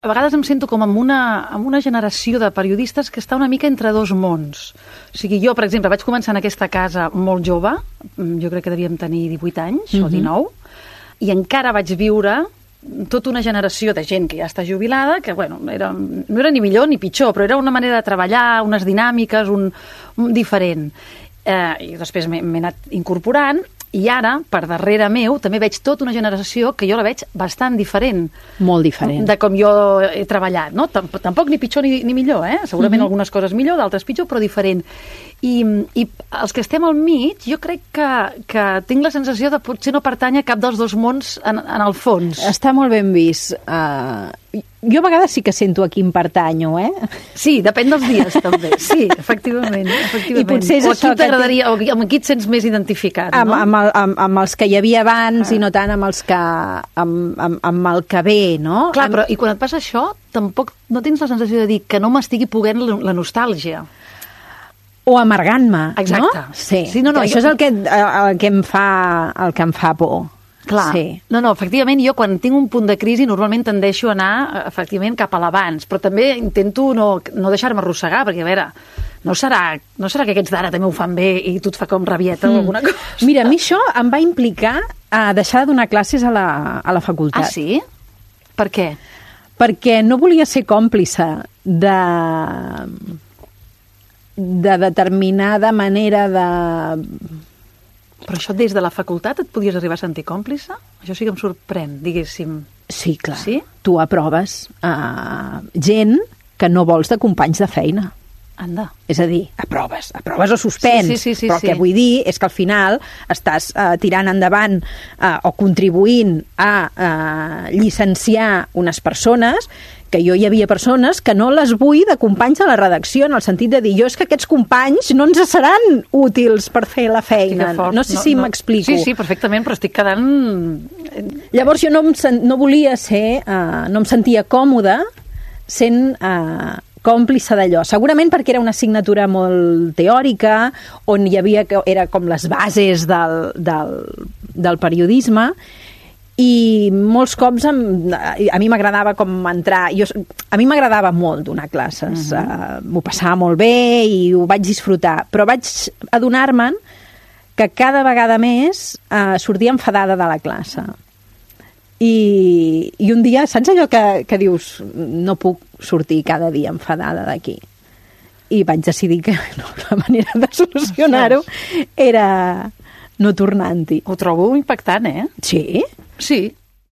A vegades em sento com amb una generació de periodistes que està una mica entre dos mons. O sigui, jo, per exemple, vaig començar en aquesta casa molt jove, jo crec que devíem tenir 18 anys o 19, i encara vaig viure tota una generació de gent que ja està jubilada, que, bueno, no era ni millor ni pitjor, però era una manera de treballar, unes dinàmiques, un diferent. I després m'he anat incorporant, i ara, per darrere meu, també veig tota una generació que jo la veig bastant diferent. Molt diferent. De com jo he treballat, no? Tampoc ni pitjor ni millor, Segurament algunes coses millor, d'altres pitjor, però diferent. I els que estem al mig, jo crec que tinc la sensació de potser no pertany a cap dels dos mons en el fons. Està molt ben vist. Jo a vegades sí que sento a quin pertanyo, Sí, depèn dels dies, també. Sí, efectivament. I potser és o això aquí t'agradaria, o amb qui et sents més identificat, no? Amb els que hi havia abans i no tant amb els que amb el que ve, no? Clar, però i quan et passa això, tampoc no tens la sensació de dir que no m'estigui poguent la nostàlgia. O amargant-me, exacte. No? Sí, no, això és el que em fa por. Clar. Sí. No, efectivament, jo quan tinc un punt de crisi normalment tendeixo a anar, efectivament, cap a l'abans, però també intento no deixar-me arrossegar, perquè, a veure, no serà que aquests d'ara també ho fan bé i tu et fa com rabieta o alguna cosa? Mira, a mi això em va implicar deixar de donar classes a la facultat. Ah, sí? Per què? Perquè no volia ser còmplice de determinada manera de... Però això des de la facultat et podies arribar a sentir còmplice? Això sí que em sorprèn, diguéssim. Sí, clar. Sí? Tu aproves gent que no vols de companys de feina. Anda. És a dir, aproves o suspens. Sí, però el que vull dir és que al final estàs tirant endavant o contribuint a llicenciar unes persones que jo hi havia persones que no les vull de companys a la redacció, en el sentit de dir, jo és que aquests companys no ens seran útils per fer la feina. No sé si m'explico. Sí, perfectament, però estic quedant... Llavors jo no volia ser, no em sentia còmoda sent còmplice d'allò. Segurament perquè era una assignatura molt teòrica, on hi havia, era com les bases del periodisme, i molts cops a mi m'agradava com entrar... A mi m'agradava molt donar classes. M'ho passava molt bé i ho vaig disfrutar. Però vaig adonar-me'n que cada vegada més sortia enfadada de la classe. I un dia, saps allò que dius no puc sortir cada dia enfadada d'aquí? I vaig decidir que la manera de solucionar-ho era no tornant-hi. Ho trobo impactant, Sí? Sí,